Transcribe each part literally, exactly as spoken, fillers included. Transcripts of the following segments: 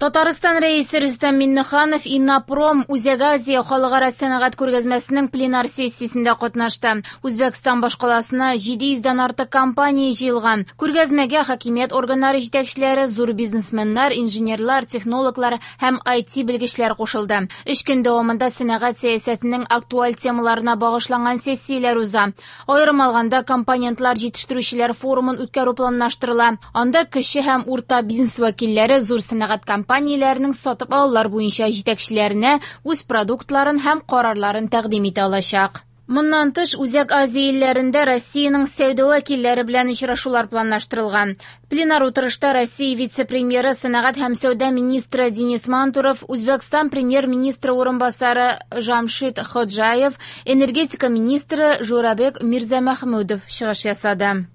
Татарстан Рәисе Рөстәм Миңнеханов Иннопром Үзәк Азия халыкара сәнәгать күргәзмәсенең пленар сессиясендә катнашты. Үзбәкстан башкаласына җиде йөздән артык компания җыелган. Күргәзмәгә хакимият органнары җитәкчеләре, зур бизнесменнар, инженерлар, технологлар һәм ай ти белгечләр кушылды. Өч көн дәвамында сәнәгать сәясәтенең актуаль темаларына багышланган сессияләр уза. Аерым алганда компонентлар җитештерүчеләр форумын үткәрү планлаштырыла. Анда кече һәм урта бизнес вәкилләре зур сәнәгать компанияләренең сатып алулар буенча җитәкчеләренә үз продуктларын һәм карарларын тәкъдим итә алачак. Моннан тыш, Үзәк Азия илләрендә Россиянең сәүдә вәкилләре белән очрашулар планлаштырылган. Пленар утырышта Россия вице-премьеры, сәнәгать һәм сәүдә министры Денис Мантуров, Үзбәкстан премьер-министры урынбасары Жамшид Ходжаев, энергетика министры Журабек Мирзамахмудов чыгыш ясады.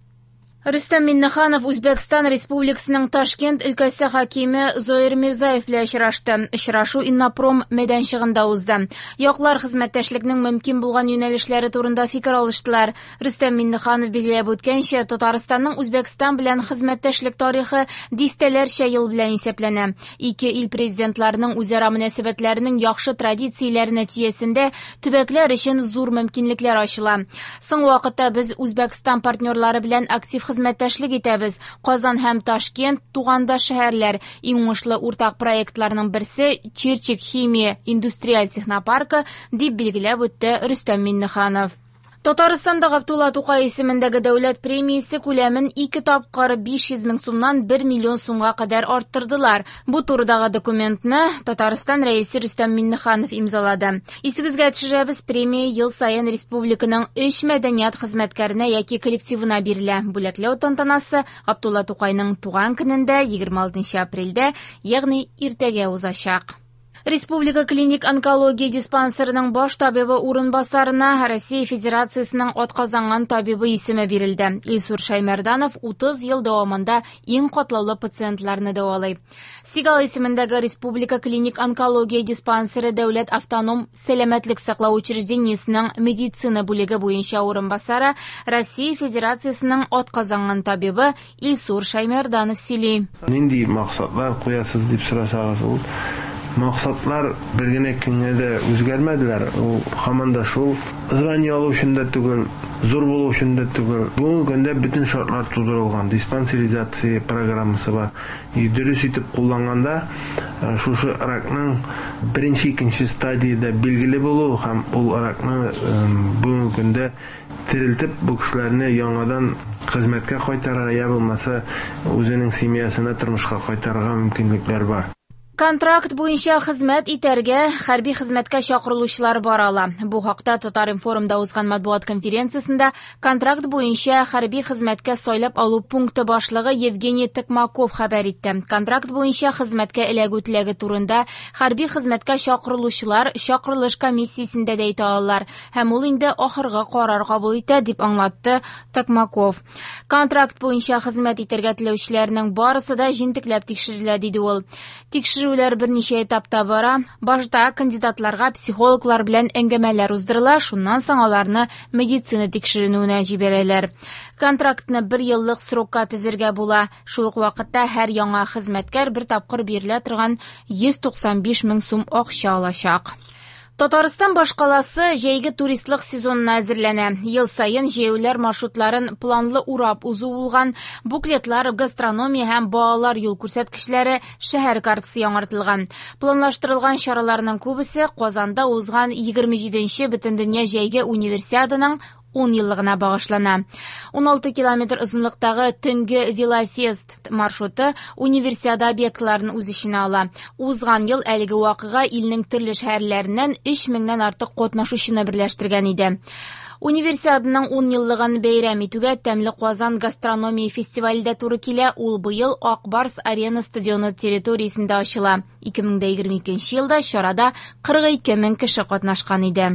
Рөстәм Миңнеханов Үзбәкстан Республикасының Ташкент өлкәсе хакиме Зоир Мирзаев белән очрашты. Очрашу Иннопром мәйданчыгында узды. Яклар хезмәттәшлекнең мөмкин булган юнәлешләре турында фикер алыштылар. Рөстәм Миңнеханов билгеләп үткәнчә, Татарстанның Үзбәкстан белән хезмәттәшлек тарихы дистәләрчә ел белән исәпләнә. Ике ил президентларының үзара мөнәсәбәтләренең яхшы традицияләре нәтиҗәсендә төбәкләр өчен зур мөмкинлекләр ачыла. Соңгы вакытта без Үзбәкстан партнерлары белән актив хезмәттәшлек итәбез. Казан һәм Ташкент тугандаш шәһәрләр. Иң уңышлы уртак проектларның берсе Чирчик химия индустриаль технопаркы, дип билгеләп үтте Рөстәм Миңнеханов. Татарстанда Габдулла Тукай исемендәге дәүләт премиясе күләмен ике тапкыр биш йөз мең сумнан бер миллион сумга кадәр арттырдылар. Бу турыдагы документны Татарстан Рәисе Рөстәм Миңнеханов имзалады. Исегезгә төшерәбез, премия ел саен республиканың өч мәдәният хезмәткәренә яки коллективына бирелә. Бүләкләү тантанасы Габдулла Тукайның туган көнендә егерме алтынчы апрельдә, ягъни иртәгә узачак. Республика клиник онкология диспансерының баш табибы урынбасарына Россия Федерациясының атказанган табибы исеме бирелде. Илсур Шаймарданов утыз ел дәвамында иң катлаулы пациентларны дәвалый. Сигал исемендәге Республика клиник онкология диспансеры дәүләт автоном сәламәтлек саклау учреждениесенең медицина бүлеге буенча урынбасары Россия Федерациясының атказанган табибы Илсур Шаймарданов сөйли. Нинди максатлар куясыз дип сорасагыз, ул максатлар бер генә көнгә дә үзгәрмәделәр. Ул һаман да шул звание алу өчен дә түгел, зур булу өчен дә түгел. Бүгенге көндә бөтен шартлар тудырылган, диспансеризация программасы бар. И дөрес итеп кулланганда, э, шушы ракның беренче, икенче стадиядә билгеле булу һәм ул ракны, э, бүгенге көндә терелтеп, бу кешеләрне яңадан хезмәткә кайтарырга, я булмаса үзенең семьясына тормышка кайтарырга мөмкинлекләр бар. Контракт буенча хезмәт итәргә хәрби хезмәткә чакырылучылар бар ала. Бу хакта Татар-информда узган матбугат конференциясендә контракт буенча хәрби хезмәткә сайлап алу пункты башлыгы Евгений Токмаков хәбәр итте. Контракт буенча хезмәткә эләгү теләге турында хәрби хезмәткә чакырылучылар чакырылыш комиссиясендә дә әйтә алалар һәм ул инде ахыргы карар кабул итә, дип аңлатты Токмаков. Контракт буенча хезмәт итәргә теләүчеләрнең барысы да җентекләп тикшерелә, диде ул. Тикшерү Тикшерүләр берничә этапта бара. Башта кандидатларга психологлар белән әңгәмәләр уздырыла, шуннан соң аларны медицина тикшеренүенә җибәрәләр. Контрактны бер еллык срокка төзергә була. Шул ук вакытта һәр яңа хезмәткәр бер тапкыр бирелә торган йөз туксан биш мең сум акча алачак. Татарстан башкаласы җәйге туристлык сезонына әзерләнә. Ел саен җәяүләр маршрутларын планлы урап узу булган, буклетлар, гастрономия һәм балалар юл күрсәткечләре, шәһәр картасы яңартылган. Планлаштырылган чараларның күбесе Казанда узган егерме җиденче Бөтендөнья җәйге универсиаданың ун еллыгына багышлана. Ун алты километр озынлыктагы төнге велофест маршруты универсиада объектларын үз эченә ала. Узган ел әлеге вакыйга илнең төрле шәһәрләреннән өч меңнән артык катнашучыны берләштергән иде. Универсиаданың ун еллыгын бәйрәм итүгә Тәмле Казан гастрономия фестивале дә туры килә. Ул быел Ак Барс Арена стадионы территориясендә ачыла. Ике мең дә егерме икенче елда чарада кырык ике мең кеше катнашкан иде.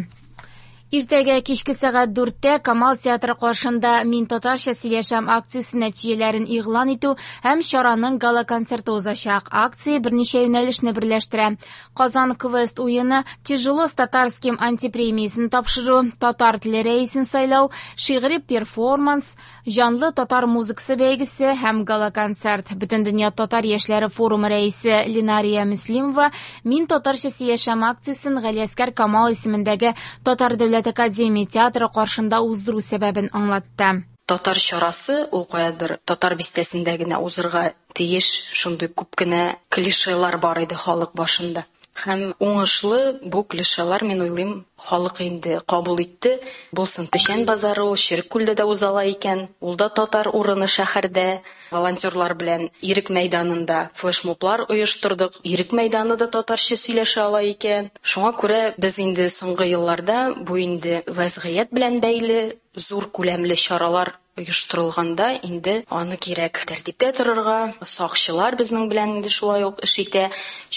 Иртәгә кичке сәгать дүрттә Камал театры каршында «Мин татарча сөйләшәм» акциясе нәтиҗәләрен игълан итү һәм чараның гала-концерты узачак. Акция берничә юнәлешне берләштерә. Казан квест уены, «Тяжело с татарским» антипремиясен тапшыру, татар теле рәисен сайлау, шигъри перформанс, җанлы татар музыкасы бәйгесе һәм гала-концерт. Бөтендөнья татар яшьләре форумы рәисе Ленария Мөслимова «Мин татарча сөйләшәм» акциясен Галиәсгар Камал исемендәге Татар дәүләт академия театры каршында уздыру сәбәбен аңлатты. Татар чарасы ул каядыр татар бистәсендә генә узырга тиеш, шундый күп кенә клишелар бар иде халык башында. Һәм уңышлы бу клишелар, мин уйлыйм, халык инде кабул итте. Булсын Печән базары, ул Череккүлдә дә узала икән, ул да татар урыны шәһәрдә. Волонтерлар белән Ирек мәйданында флешмоблар оештырдык. Ирек мәйданы да татарча сөйләшә ала икән. Шуңа күрә без инде соңгы елларда бу инде вәзгыять белән бәйле зур күләмле чаралар оештырылганда инде аны кирәк тәртиптә торырга. Сакчылар безнең белән инде шулай ук эш итә,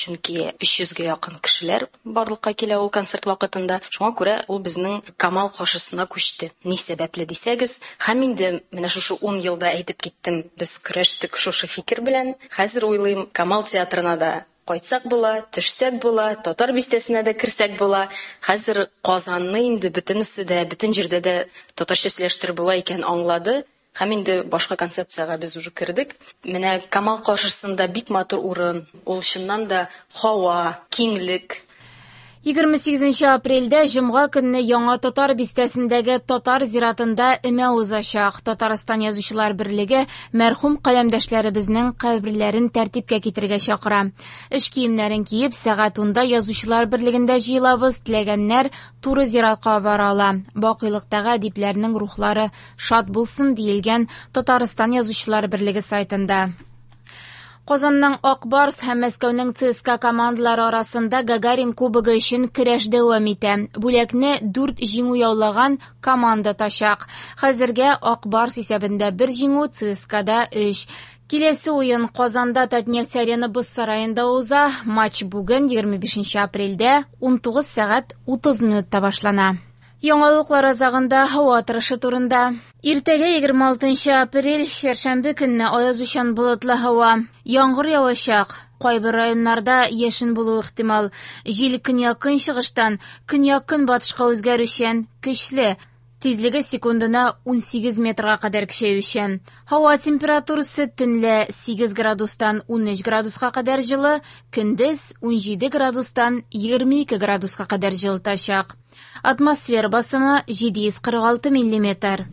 чөнки өч йөзгә якын кешеләр барлыкка килә ул концерт вакытында. Шуңа күрә ул безнең Камал каршысына күчте. Ни сәбәпле дисәгез, һәм инде менә шушы ун елда әйтеп киттем, без көрәштек шушы фикер белән. Хәзер уйлыйм, Камал театрына да кайтсак була, төшсәк була, татар бистәсенә дә керсәк була. Хәзер Казанны инде бөтенесе дә, бөтен җирдә дә татарча сөйләштереп була икән аңлады. Һәм инде башка концепциягә без уже кердек. Менә Камал каршысында бик матур урын. Ул чыннан да һава, киңлек. Егерме сигезенче апрельдә җомга көнне Яңа Татар бистәсендәге Татар зиратында өмә узачак. Татарстан Язучылар берлеге мәрхүм каләмдәшләребезнең каберләрен тәртипкә китерергә чакыра. Эш киемнәрен киеп, сәгать унда Язучылар берлегендә җыелабыз. Теләгәннәр туры зиратка бара ала. Бакыйлыктагы әдипләрнең рухлары шат булсын, диелгән Татарстан Язучылар берлеге сайтында. Казанның Ак Барс һәм Мәскәүнең ЦСКА командалары арасында Гагарин кубогы өчен көрәш дәвам итә. Бүләкне дүрт җиңү яулаган команда тачак. Хәзергә Ак Барс исәбендә бер җиңү, ЦСКАда өч. Киләсе уен Казанда Татнефть Арена боз сараенда уза. Матч бүген егерме бишенче апрельдә ун тугыз сәгать утыз минутта башлана. Яңалыклар азагында һава торышы турында. Иртәгә егерме алтынчы апрель, чәршәмбе көнне аязучан болытлы һава. Яңгыр явачак. Кайбер районнарда яшен булуы ихтимал. Җил көньяк-көнчыгыштан көньяк-көнбатышка үзгәрүчән, көчле. Тизлеге секундына ун сигез метрга кадәр көчәючән. Һава температурасы төнлә сигез градустан ун өч градуска кадәр җылы, көндез ун җиде градустан егерме ике градуска кадәр җылытачак. Атмосфера басымы җиде йөз кырык алты миллиметр.